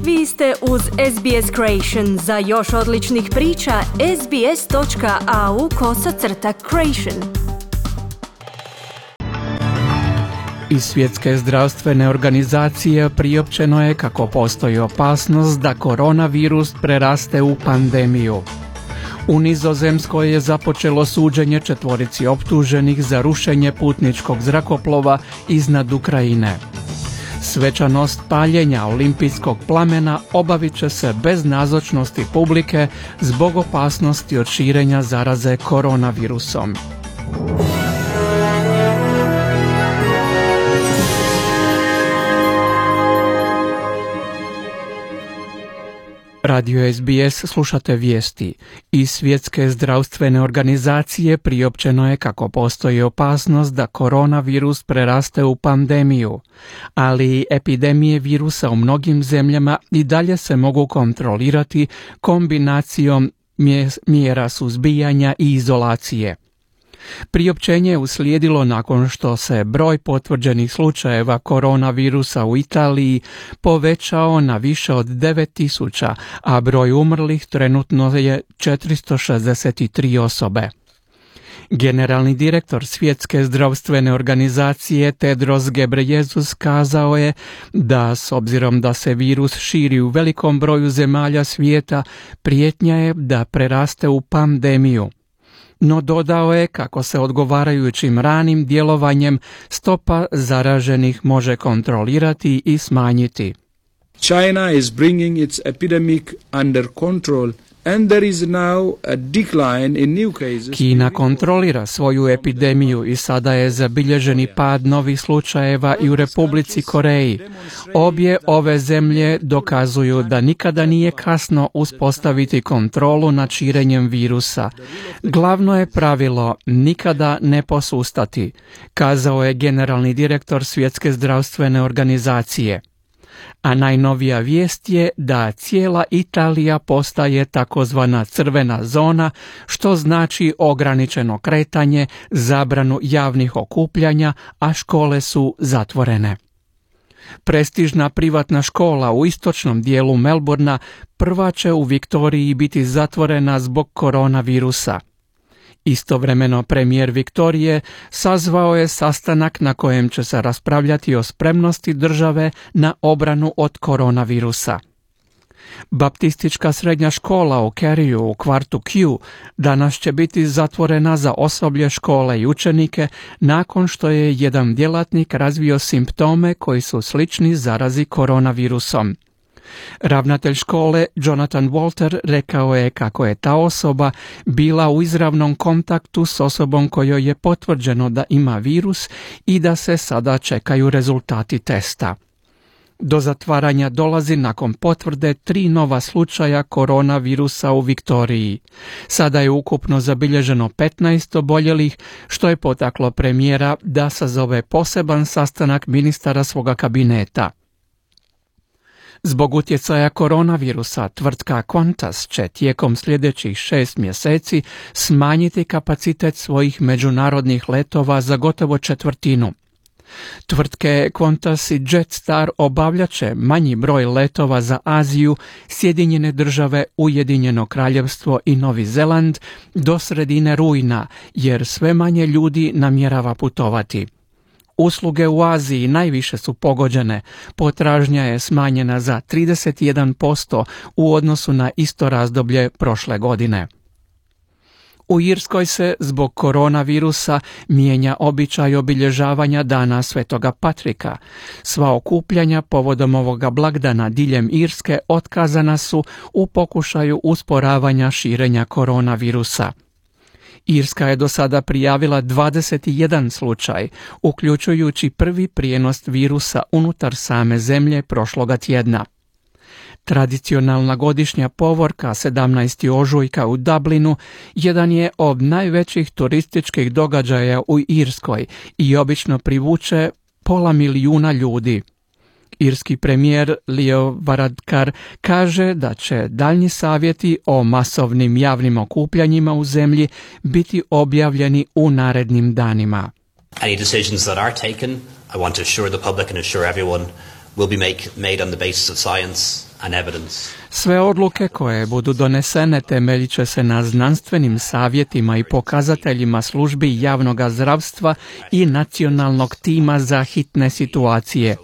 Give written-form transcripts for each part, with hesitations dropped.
Vi ste uz SBS Creation. Za još odličnih priča, sbs.au/creation. Iz Svjetske zdravstvene organizacije priopćeno je kako postoji opasnost da koronavirus preraste u pandemiju. U Nizozemskoj je započelo suđenje 4 optuženih za rušenje putničkog zrakoplova iznad Ukrajine. Svečanost paljenja olimpijskog plamena obavit će se bez nazočnosti publike zbog opasnosti od širenja zaraze koronavirusom. Radio SBS slušate vijesti. Iz Svjetske zdravstvene organizacije priopćeno je kako postoji opasnost da koronavirus preraste u pandemiju, ali epidemije virusa u mnogim zemljama i dalje se mogu kontrolirati kombinacijom mjera suzbijanja i izolacije. Priopćenje je uslijedilo nakon što se broj potvrđenih slučajeva koronavirusa u Italiji povećao na više od 9.000, a broj umrlih trenutno je 463 osobe. Generalni direktor Svjetske zdravstvene organizacije Tedros Ghebreyesus kazao je da s obzirom da se virus širi u velikom broju zemalja svijeta, prijetnja je da preraste u pandemiju. No dodao je kako se odgovarajućim ranim djelovanjem stopa zaraženih može kontrolirati i smanjiti. China is bringing its epidemic under control. And there is now a decline in new cases. Kina kontrolira svoju epidemiju i sada je zabilježeni pad novih slučajeva i u Republici Koreji. Obje ove zemlje dokazuju da nikada nije kasno uspostaviti kontrolu nad širenjem virusa. Glavno je pravilo nikada ne posustati, kazao je generalni direktor Svjetske zdravstvene organizacije. A najnovija vijest je da cijela Italija postaje takozvana crvena zona, što znači ograničeno kretanje, zabranu javnih okupljanja, a škole su zatvorene. Prestižna privatna škola u istočnom dijelu Melbourna prva će u Viktoriji biti zatvorena zbog koronavirusa. Istovremeno premijer Viktorije sazvao je sastanak na kojem će se raspravljati o spremnosti države na obranu od koronavirusa. Baptistička srednja škola u Kerriju u kvartu Q danas će biti zatvorena za osoblje škole i učenike nakon što je jedan djelatnik razvio simptome koji su slični zarazi koronavirusom. Ravnatelj škole Jonathan Walter rekao je kako je ta osoba bila u izravnom kontaktu s osobom kojoj je potvrđeno da ima virus i da se sada čekaju rezultati testa. Do zatvaranja dolazi nakon potvrde 3 nova slučaja koronavirusa u Viktoriji. Sada je ukupno zabilježeno 15 oboljelih, što je potaklo premijera da sazove poseban sastanak ministara svoga kabineta. Zbog utjecaja koronavirusa, tvrtka Qantas će tijekom sljedećih 6 mjeseci smanjiti kapacitet svojih međunarodnih letova za gotovo 1/4. Tvrtke Qantas i Jetstar obavljat će manji broj letova za Aziju, Sjedinjene države, Ujedinjeno kraljevstvo i Novi Zeland do sredine rujna, jer sve manje ljudi namjerava putovati. Usluge u Aziji najviše su pogođene, potražnja je smanjena za 31% u odnosu na isto razdoblje prošle godine. U Irskoj se zbog koronavirusa mijenja običaj obilježavanja Dana Svetoga Patrika. Sva okupljanja povodom ovoga blagdana diljem Irske otkazana su u pokušaju usporavanja širenja koronavirusa. Irska je do sada prijavila 21 slučaj, uključujući prvi prijenos virusa unutar same zemlje prošloga tjedna. Tradicionalna godišnja povorka 17. ožujka u Dublinu jedan je od najvećih turističkih događaja u Irskoj i obično privuče 500.000 ljudi. Irski premijer Leo Varadkar kaže da će daljnji savjeti o masovnim javnim okupljanjima u zemlji biti objavljeni u narednim danima. Any decisions that are taken, I want to assure the public and assure everyone, will be made on the basis of science Sve odluke koje budu donesene temeljit će se na znanstvenim savjetima i pokazateljima službi javnog zdravstva i nacionalnog tima za hitne situacije.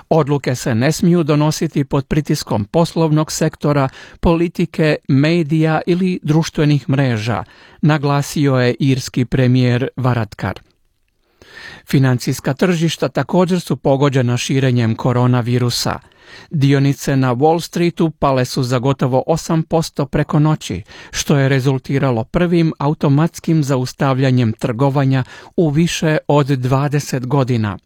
Odluke se ne smiju donositi pod pritiskom poslovnog sektora, politike, medija ili društvenih mreža, naglasio je irski premijer Varadkar. Financijska tržišta također su pogođena širenjem koronavirusa. Dionice na Wall Streetu pale su za gotovo 8% preko noći, što je rezultiralo prvim automatskim zaustavljanjem trgovanja u više od 20 godina.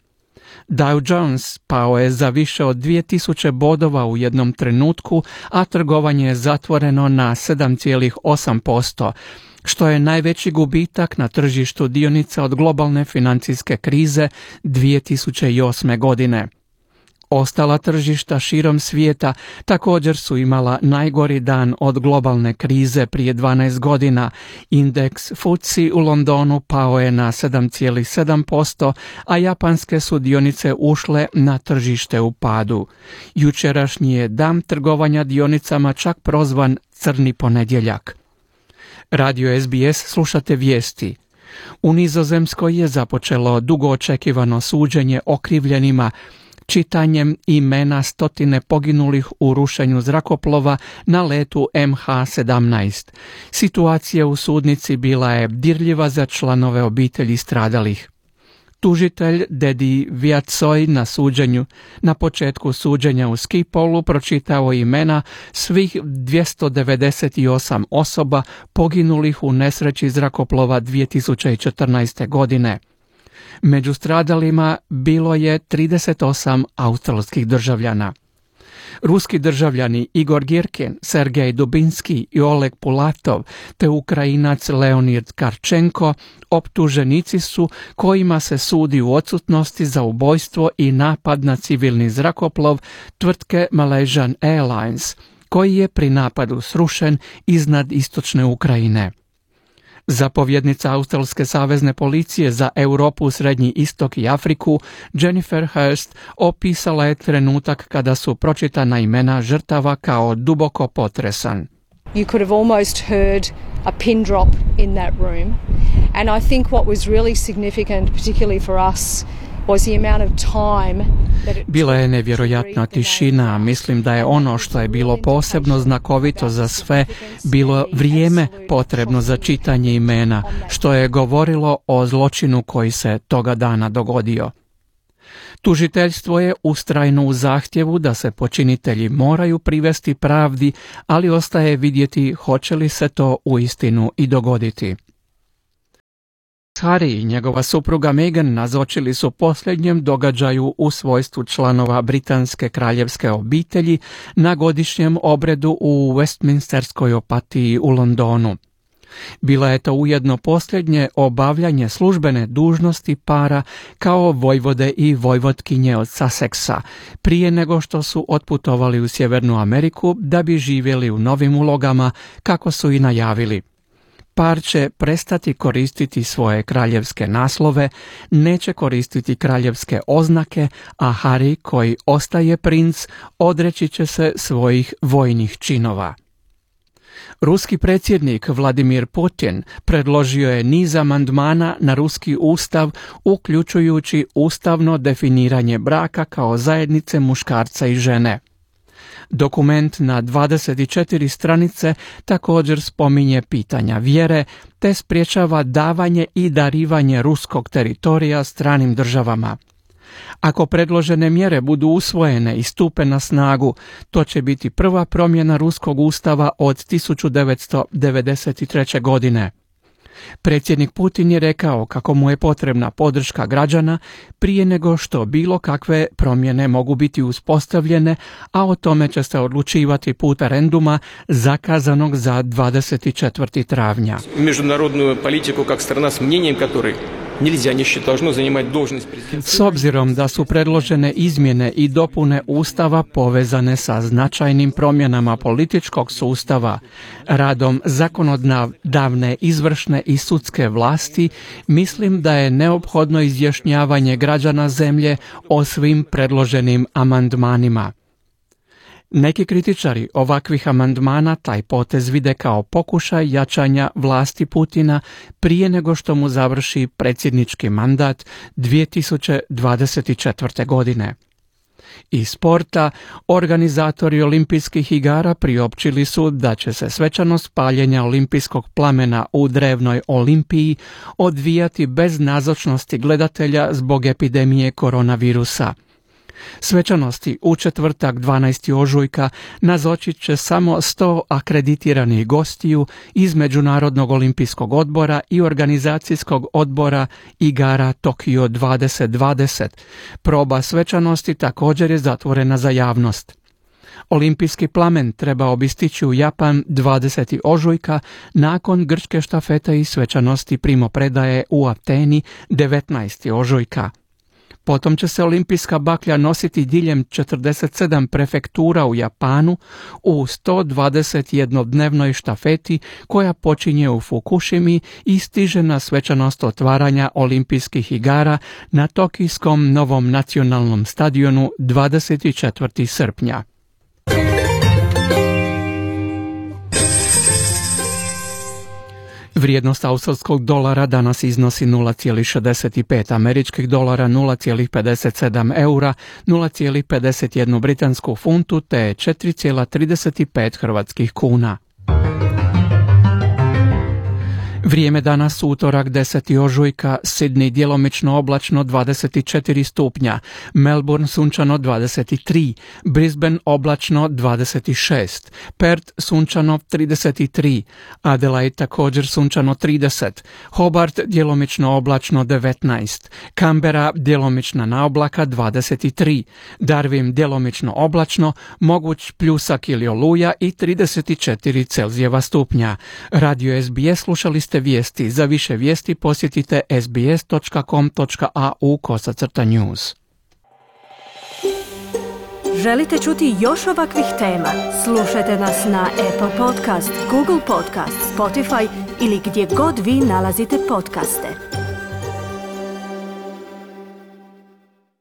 Dow Jones pao je za više od 2000 bodova u jednom trenutku, a trgovanje je zatvoreno na 7,8%, što je najveći gubitak na tržištu dionica od globalne financijske krize 2008. godine. Ostala tržišta širom svijeta također su imala najgori dan od globalne krize prije 12 godina. Indeks FTSE u Londonu pao je na 7,7%, a japanske su dionice ušle na tržište u padu. Jučerašnji je dan trgovanja dionicama čak prozvan crni ponedjeljak. Radio SBS slušate vijesti. U Nizozemskoj je započelo dugo očekivano suđenje okrivljenima čitanjem imena stotine poginulih u rušenju zrakoplova na letu MH17. Situacija u sudnici bila je dirljiva za članove obitelji stradalih. Tužitelj Dedi Viatsoj na početku suđenja u Skipolu pročitao imena svih 298 osoba poginulih u nesreći zrakoplova 2014. godine. Među stradalima bilo je 38 australskih državljana. Ruski državljani Igor Girkin, Sergej Dubinski i Oleg Pulatov te Ukrajinac Leonid Karčenko optuženici su kojima se sudi u odsutnosti za ubojstvo i napad na civilni zrakoplov tvrtke Malaysian Airlines, koji je pri napadu srušen iznad istočne Ukrajine. Zapovjednica Australske savezne policije za Europu, Srednji istok i Afriku, Jennifer Hurst, opisala je trenutak kada su pročitana imena žrtava kao duboko potresan. You could have almost heard a pin drop in that room. And I think what was really significant, particularly for us, was the amount of time that it... Bila je nevjerojatna tišina. Mislim da je ono što je bilo posebno znakovito za sve bilo vrijeme potrebno za čitanje imena, što je govorilo o zločinu koji se toga dana dogodio. Tužiteljstvo je ustrajno u zahtjevu da se počinitelji moraju privesti pravdi, ali ostaje vidjeti hoće li se to uistinu i dogoditi. Harry i njegova supruga Meghan nazočili su posljednjem događaju u svojstvu članova britanske kraljevske obitelji na godišnjem obredu u Westminsterskoj apatiji u Londonu. Bila je to ujedno posljednje obavljanje službene dužnosti para kao vojvode i vojvotkinje od Sussexa, prije nego što su otputovali u Sjevernu Ameriku da bi živjeli u novim ulogama, kako su i najavili. Par će prestati koristiti svoje kraljevske naslove, neće koristiti kraljevske oznake, a Harry, koji ostaje princ, odreći će se svojih vojnih činova. Ruski predsjednik Vladimir Putin predložio je niz amandmana na ruski ustav, uključujući ustavno definiranje braka kao zajednice muškarca i žene. Dokument na 24 stranice također spominje pitanja vjere te sprječava davanje i darivanje ruskog teritorija stranim državama. Ako predložene mjere budu usvojene i stupe na snagu, to će biti prva promjena ruskog ustava od 1993. godine. Predsjednik Putin je rekao kako mu je potrebna podrška građana prije nego što bilo kakve promjene mogu biti uspostavljene, a o tome će se odlučivati putem referenduma zakazanog za 24. travnja. Međunarodnu politiku kao strana s mnjenjem который S obzirom da su predložene izmjene i dopune Ustava povezane sa značajnim promjenama političkog sustava, radom zakonodavne, izvršne i sudske vlasti, mislim da je neophodno izjašnjavanje građana zemlje o svim predloženim amandmanima. Neki kritičari ovakvih amandmana taj potez vide kao pokušaj jačanja vlasti Putina prije nego što mu završi predsjednički mandat 2024. godine. Iz sporta, organizatori olimpijskih igara priopćili su da će se svečanost paljenja olimpijskog plamena u drevnoj Olimpiji odvijati bez nazočnosti gledatelja zbog epidemije koronavirusa. Svečanosti u četvrtak 12. ožujka nazočit će samo 100 akreditiranih gostiju iz Međunarodnog olimpijskog odbora i organizacijskog odbora igara Tokio 2020. Proba svečanosti također je zatvorena za javnost. Olimpijski plamen trebao bi stići u Japan 20. ožujka nakon grčke štafete i svečanosti primopredaje u Ateni 19. ožujka. Potom će se olimpijska baklja nositi diljem 47 prefektura u Japanu u 121-dnevnoj štafeti koja počinje u Fukushimi i stiže na svečanost otvaranja olimpijskih igara na Tokijskom novom nacionalnom stadionu 24. srpnja. Vrijednost australskog dolara danas iznosi 0,65 američkih dolara, 0,57 eura, 0,51 britansku funtu te 4,35 hrvatskih kuna. Vrijeme danas utorak 10. ožujka, Sydney djelomično oblačno 24 stupnja, Melbourne sunčano 23, Brisbane oblačno 26, Perth sunčano 33, Adelaide također sunčano 30, Hobart djelomično oblačno 19, Canberra djelomična naoblaka 23, Darwin djelomično oblačno, moguć pljusak ili oluja i 34 Celzijeva stupnja. Radio SBS slušali ste vijesti. Za više vijesti posjetite sbs.com.au/news. Želite čuti još ovakvih tema? Slušajte nas na Apple Podcast, Google Podcast, Spotify ili gdje god vi nalazite podcaste.